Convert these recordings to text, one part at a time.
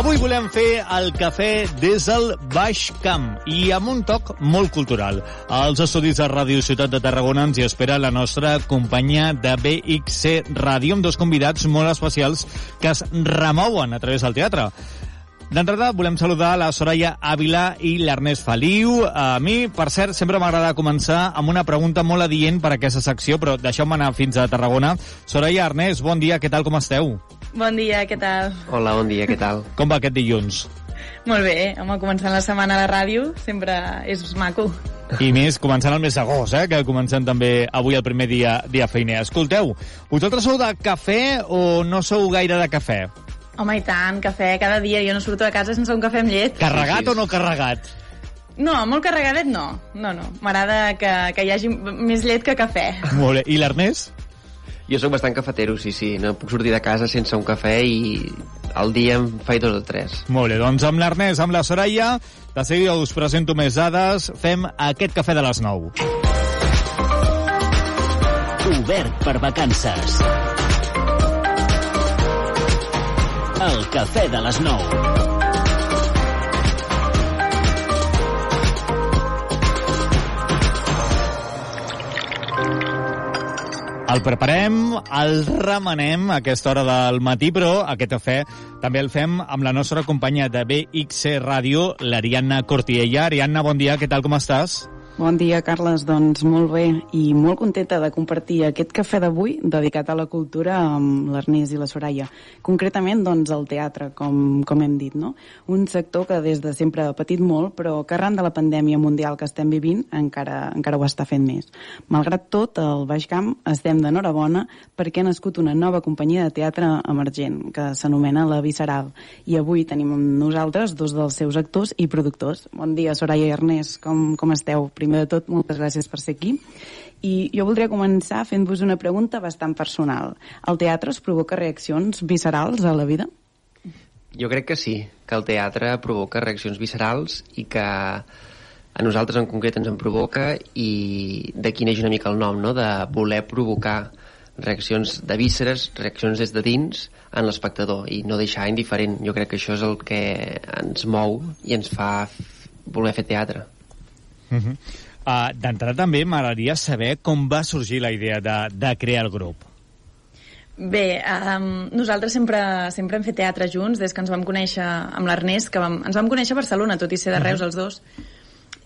Avui volem fer el cafè des del Baix Camp i amb un toc molt cultural. Als estudis de Ràdio Ciutat de Tarragona ens hi espera la nostra companyia de BXC Ràdio amb dos convidats molt especials que es remouen a través del teatre. D'entrada, volem saludar la Soraya Ávila i l'Ernest Feliu. A mi, per cert, sempre m'agrada començar amb una pregunta molt adient per a aquesta secció, però deixeu-me anar fins a Tarragona. Soraya, Ernest, bon dia, què tal, com esteu? Bon dia, què tal? Hola, bon dia, què tal? Com va aquest dilluns? Molt bé, home, començant la setmana a la ràdio sempre és maco. I més, començant el mes d'agost, que comencem també avui el primer dia feiner. Escolteu, vosaltres sou de cafè o no sou gaire de cafè? Home, i tant, cafè cada dia. Jo no surto de casa sense un cafè amb llet. Carregat o no carregat? No, molt carregadet no. No. M'agrada que hi hagi més llet que cafè. Molt bé. I l'Ernest? Jo sóc bastant cafetero, sí. No puc sortir de casa sense un cafè i al dia em faig 2 o 3. Molt bé, doncs amb l'Ernest, amb la Soraya, de seguida us presento més dades. Fem aquest cafè de les 9. Obert per vacances. El cafè de les 9. El preparem, el remenem a aquesta hora del matí, però aquest cafè també el fem amb la nostra companya de BXC Ràdio, l'Ariadna Cortiella. Ariadna, bon dia, què tal, com estàs? Bon dia, Carles. Doncs molt bé i molt contenta de compartir aquest cafè d'avui dedicat a la cultura amb l'Ernest i la Soraya. Concretament, doncs, el teatre, com hem dit, no? Un sector que des de sempre ha patit molt, però que arran de la pandèmia mundial que estem vivint encara ho està fent més. Malgrat tot, al Baix Camp estem d'enhorabona perquè ha nascut una nova companyia de teatre emergent que s'anomena La Visceral. I avui tenim amb nosaltres 2 dels seus actors i productors. Bon dia, Soraya i Ernest. Com esteu? Primer de tot, moltes gràcies per ser aquí. I jo voldria començar fent-vos una pregunta bastant personal. El teatre us provoca reaccions viscerals a la vida? Jo crec que sí, que el teatre provoca reaccions viscerals i que a nosaltres en concret ens en provoca, i d'aquí neix una mica el nom, no?, de voler provocar reaccions de vísceres, reaccions des de dins en l'espectador i no deixar indiferent. Jo crec que això és el que ens mou i ens fa voler fer teatre. D'entrada també m'agradaria saber com va sorgir la idea de crear el grup. Bé, nosaltres sempre hem fet teatre junts des que ens vam conèixer amb l'Ernest, que ens vam conèixer a Barcelona, tot i ser de Reus els dos.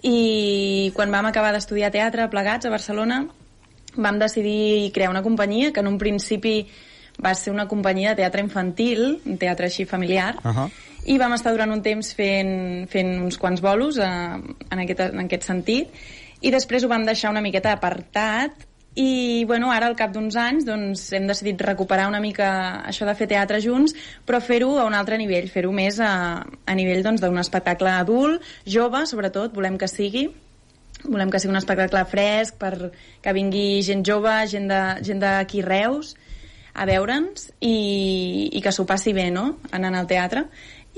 I quan vam acabar d'estudiar teatre plegats a Barcelona vam decidir crear una companyia que en un principi va ser una companyia de teatre infantil, un teatre així familiar, i vam estar durant un temps fent uns quants bolos en aquest sentit, i després ho vam deixar una miqueta apartat, i bueno, ara al cap d'uns anys doncs, hem decidit recuperar una mica això de fer teatre junts, però fer-ho a un altre nivell, fer-ho més a nivell doncs, d'un espectacle adult, jove sobretot, volem que sigui un espectacle fresc que vingui gent jove, gent d'aquí Reus a veure'ns i que s'ho passi bé, no?, anant al teatre.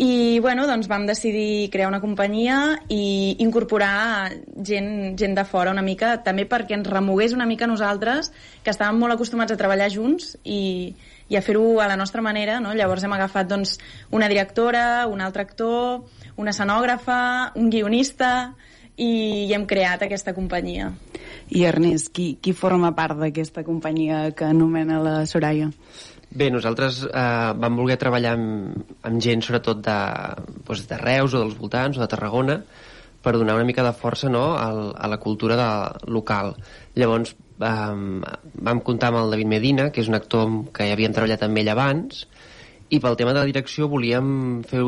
I bueno, doncs vam decidir crear una companyia i incorporar gent de fora una mica, també perquè ens remogués una mica nosaltres, que estàvem molt acostumats a treballar junts i a fer-ho a la nostra manera, no? Llavors hem agafat doncs, una directora, un altre actor, una escenògrafa, un guionista, i hem creat aquesta companyia. I Ernest, qui forma part d'aquesta companyia que anomena la Soraya? Bé, nosaltres vam voler treballar amb gent sobretot de Reus o dels voltants o de Tarragona per donar una mica de força, no?, a la cultura local. Llavors vam comptar amb el David Medina, que és un actor que ja havíem treballat amb ell abans, i pel tema de la direcció volíem fer...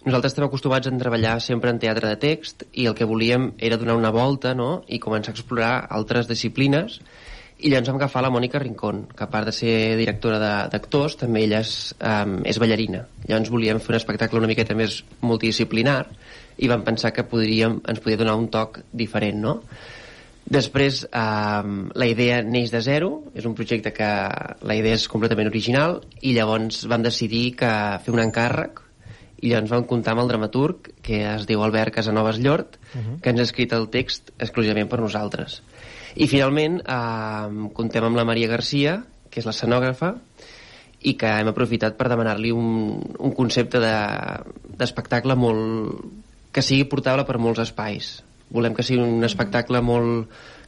Nosaltres estem acostumats a treballar sempre en teatre de text i el que volíem era donar una volta, no?, i començar a explorar altres disciplines. I llavors vam agafar la Mònica Rincón, que a part de ser directora d'actors, també ella és ballarina. Llavors volíem fer un espectacle una miqueta més multidisciplinar i vam pensar que ens podia donar un toc diferent, no? Després, la idea neix de zero, és un projecte que la idea és completament original, i llavors vam decidir fer un encàrrec, i llavors vam comptar amb el dramaturg, que es diu Albert Casanovas Llort, que ens ha escrit el text exclusivament per nosaltres. I finalment comptem amb la Maria Garcia, que és l'escenògrafa, i que hem aprofitat per demanar-li un concepte d'espectacle que sigui portable per molts espais. Volem que sigui un espectacle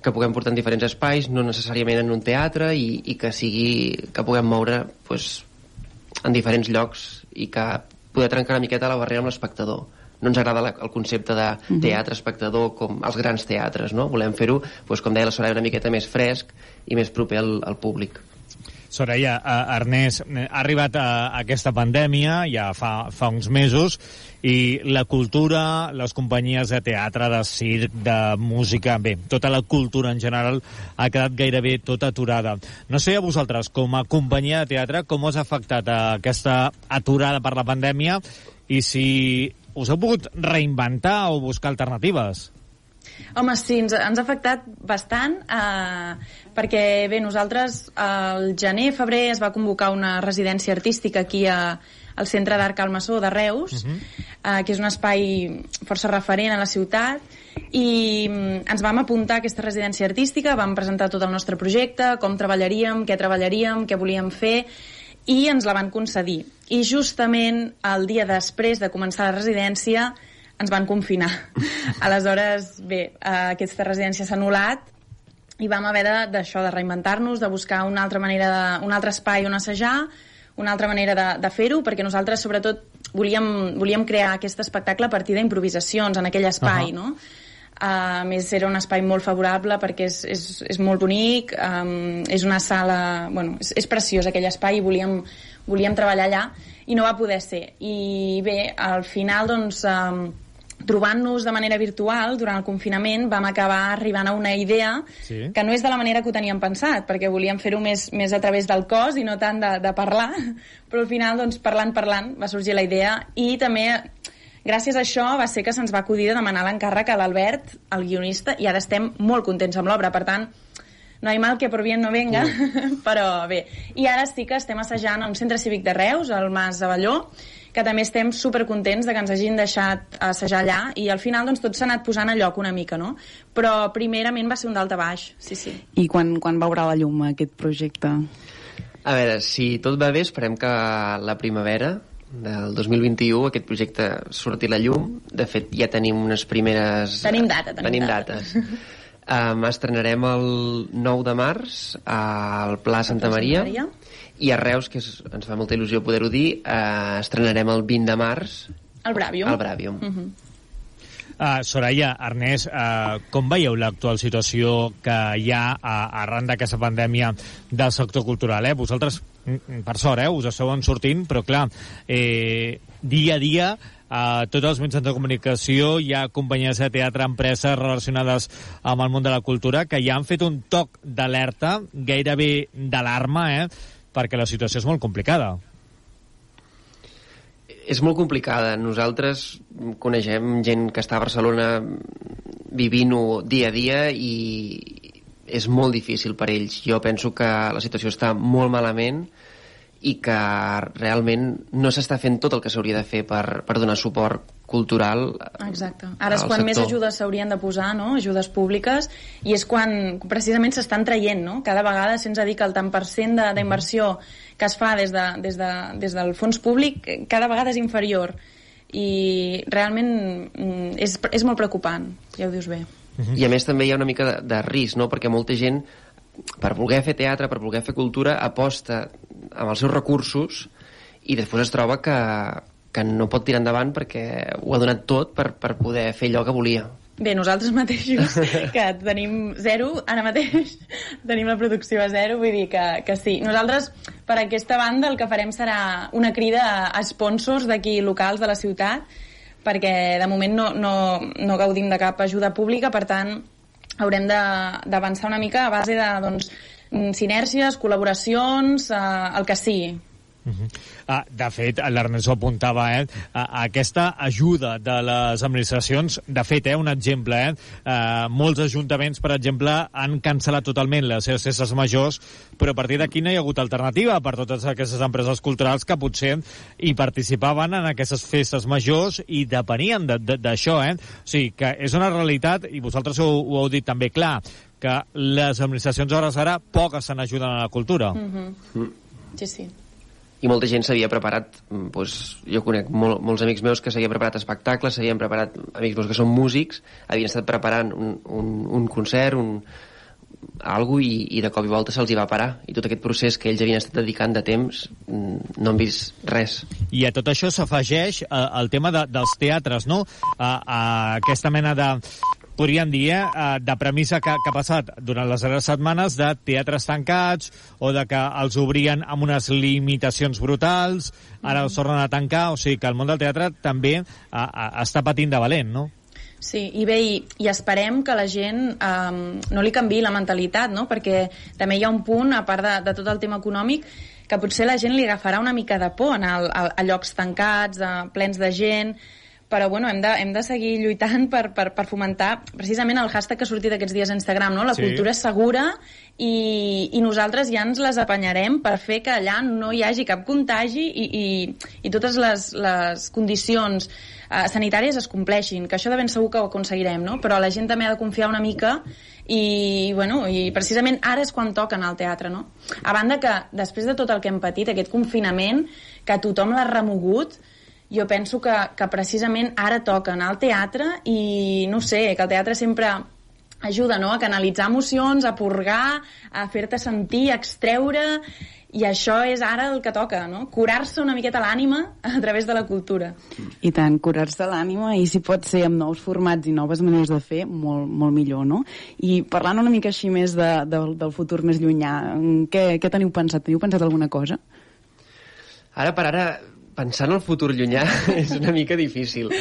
que puguem portar en diferents espais, no necessàriament en un teatre, i que puguem moure en diferents llocs i que poder trencar una miqueta la barrera amb l'espectador. No ens agrada el concepte de teatre-espectador com els grans teatres, no? Volem fer-ho, com deia la Soraya, una miqueta més fresc i més proper al públic. Soraya, Ernest, ha arribat aquesta pandèmia ja fa uns mesos i la cultura, les companyies de teatre, de circ, de música, bé, tota la cultura en general ha quedat gairebé tota aturada. No sé a vosaltres, com a companyia de teatre, com us ha afectat aquesta aturada per la pandèmia i si us heu pogut reinventar o buscar alternatives? Home, sí, ens ha afectat bastant perquè, bé, nosaltres al gener-febrer es va convocar una residència artística aquí al Centre d'Art Calmaçó de Reus, que és un espai força referent a la ciutat, i ens vam apuntar a aquesta residència artística, vam presentar tot el nostre projecte, com treballaríem, què volíem fer, i ens la van concedir. I justament el dia després de començar la residència ens van confinar. Aleshores, bé, aquesta residència s'ha anul·lat i vam haver de reinventar-nos, de buscar una altra manera, un altre espai on assajar, una altra manera de fer-ho, perquè nosaltres, sobretot, volíem crear aquest espectacle a partir d'improvisacions en aquell espai, no? A més, era un espai molt favorable perquè és molt bonic, és una sala... Bueno, és preciós aquell espai i volíem treballar allà i no va poder ser. I bé, al final, doncs... trobant-nos de manera virtual durant el confinament vam acabar arribant a una idea que no és de la manera que ho teníem pensat, perquè volíem fer-ho més a través del cos i no tant de parlar, però al final, doncs, parlant va sorgir la idea, i també gràcies a això va ser que se'ns va acudir de demanar l'encàrrec a l'Albert, el guionista, i ara estem molt contents amb l'obra. Per tant, no hi mal que por bien no venga, però bé. I ara sí que estem assajant a un centre cívic de Reus, al Mas Avelló, que també estem supercontents de que ens hagin deixat assajar allà, i al final doncs, tot s'ha anat posant a lloc una mica, no? Però primerament va ser un dalt a baix, sí. I quan veurà la llum aquest projecte? A veure, si tot va bé, esperem que la primavera del 2021 aquest projecte surti a la llum. De fet, ja tenim unes primeres... Tenim dates. Estrenarem el 9 de març al Pla Santa Maria. I a Reus, que ens fa molta il·lusió poder-ho dir, estrenarem el 20 de març al Bràvium. Soraya, Ernest, com veieu l'actual situació que hi ha arran d'aquesta pandèmia del sector cultural? Vosaltres, per sort, us esteu sortint, però clar, dia a dia tots els mitjans de comunicació hi ha companyies de teatre, empreses relacionades amb el món de la cultura que ja han fet un toc d'alerta, gairebé d'alarma, perquè la situació és molt complicada. És molt complicada. Nosaltres coneixem gent que està a Barcelona vivint-ho dia a dia i és molt difícil per ells. Jo penso que la situació està molt malament i que realment no s'està fent tot el que s'hauria de fer per donar suport cultural. Exacte. Ara és quan més ajudes s'haurien de posar, no? Ajudes públiques, i és quan precisament s'estan traient, no? Cada vegada se'ns ha dit que el tant per cent d'inversió que es fa des del fons públic cada vegada és inferior, i realment és molt preocupant, ja ho dius bé. I a més també hi ha una mica de risc, no? Perquè molta gent, per voler fer teatre, per voler fer cultura, aposta amb els seus recursos i després es troba que no pot tirar endavant perquè ho ha donat tot per poder fer allò que volia. Bé, nosaltres mateixos, que tenim zero, ara mateix tenim la producció a zero, vull dir que sí. Nosaltres, per aquesta banda, el que farem serà una crida a sponsors d'aquí locals de la ciutat, perquè de moment no gaudim de cap ajuda pública, per tant, haurem d'avançar una mica a base de sinèrgies, col·laboracions, el que sigui. De fet, l'Ernest ho apuntava, aquesta ajuda de les administracions, de fet, un exemple, molts ajuntaments, per exemple, han cancel·lat totalment les seves festes majors, però a partir d'aquí no hi ha hagut alternativa per totes aquestes empreses culturals que potser hi participaven en aquestes festes majors i depenien d'això, O sigui, que és una realitat, i vosaltres ho heu dit també clar, que les administracions hores ara poc estan ajudant a la cultura. Sí. i molta gent s'havia preparat, doncs, jo conec molts amics meus que s'havien preparat espectacles, s'havien preparat, amics meus que són músics, havien estat preparant un concert, algo, i de cop i volta se'ls hi va parar, i tot aquest procés que ells havien estat dedicant de temps no han vist res. I a tot això s'afegeix el tema dels teatres, no? A aquesta mena de, podríem dir, de premissa que ha passat durant les darreres setmanes de teatres tancats o de que els obrien amb unes limitacions brutals, ara els tornen a tancar, o sigui que el món del teatre també està patint de valent, no? Sí, i bé, i esperem que la gent no li canviï la mentalitat, no? Perquè també hi ha un punt, a part de tot el tema econòmic, que potser la gent li agafarà una mica de por anar a llocs tancats, plens de gent, però bueno, hem de seguir lluitant per fomentar precisament el hashtag que ha sortit aquests dies a Instagram, no? La cultura és segura i nosaltres ja ens les apanyarem per fer que allà no hi hagi cap contagi i totes les condicions sanitàries es compleixin, que això de ben segur que ho aconseguirem, no? Però la gent també ha de confiar una mica i precisament ara és quan toca anar al teatre, no? A banda que després de tot el que hem patit, aquest confinament, que tothom l'ha remogut, jo penso que precisament ara toca anar al teatre i, no sé, que el teatre sempre ajuda, no?, a canalitzar emocions, a purgar, a fer-te sentir, a extreure, i això és ara el que toca, no? Curar-se una miqueta l'ànima a través de la cultura. I tant, curar-se l'ànima, i si pot ser amb nous formats i noves maneres de fer, molt, molt millor, no? I parlant una mica així més del futur més llunyà, què teniu pensat? Teniu pensat alguna cosa? Ara per ara, pensar en el futur llunyà és una mica difícil.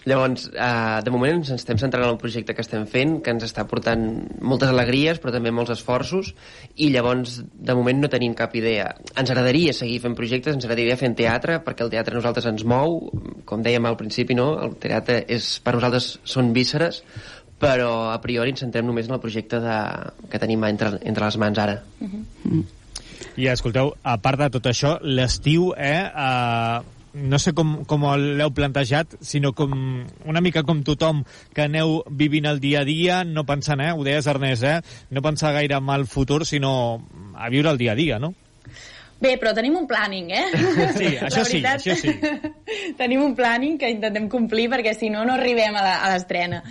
Llavors, de moment ens estem centrant en el projecte que estem fent, que ens està portant moltes alegries, però també molts esforços, i llavors, de moment, no tenim cap idea. Ens agradaria seguir fent projectes, ens agradaria fer teatre, perquè el teatre a nosaltres ens mou, com dèiem al principi, no? El teatre per nosaltres són vísceres, però a priori ens centrem només en el projecte que tenim entre les mans ara. I escolteu, a part de tot això, l'estiu, no sé com l'heu plantejat, sinó com una mica com tothom que aneu vivint el dia a dia, no pensant, ho deies, Ernest, no pensar gaire en el futur, sinó a viure el dia a dia, no? Bé, però tenim un planning, Sí, això sí, això sí. Tenim un planning que intentem complir perquè si no arribem a l'estrena.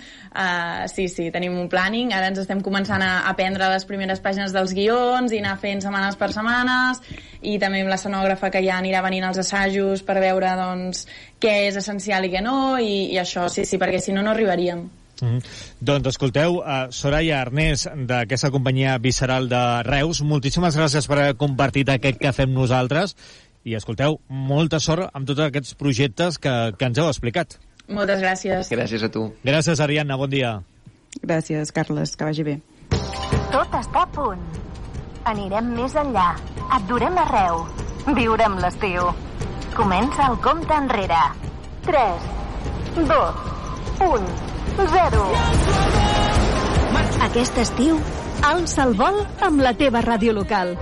Sí, tenim un planning. Ara ens estem començant a aprendre les primeres pàgines dels guions i anar fent setmanes per setmanes, i també amb l'escenògrafa que ja anirà venint als assajos per veure, doncs, què és essencial i què no, i això, sí, perquè si no arribaríem. Doncs escolteu, Soraya, Ernest, d'aquesta companyia visceral de Reus, moltíssimes gràcies per haver compartit aquest que fem nosaltres, i escolteu, molta sort amb tots aquests projectes que ens heu explicat. Moltes gràcies. Gràcies a tu. Gràcies, Ariadna, bon dia. Gràcies, Carles, que vagi bé. Tot està a punt. Anirem més enllà. Et durem arreu. Viurem l'estiu. Comença el compte enrere. 3, 2, 1... 0. Aquest estiu, alça el vol amb la teva ràdio local.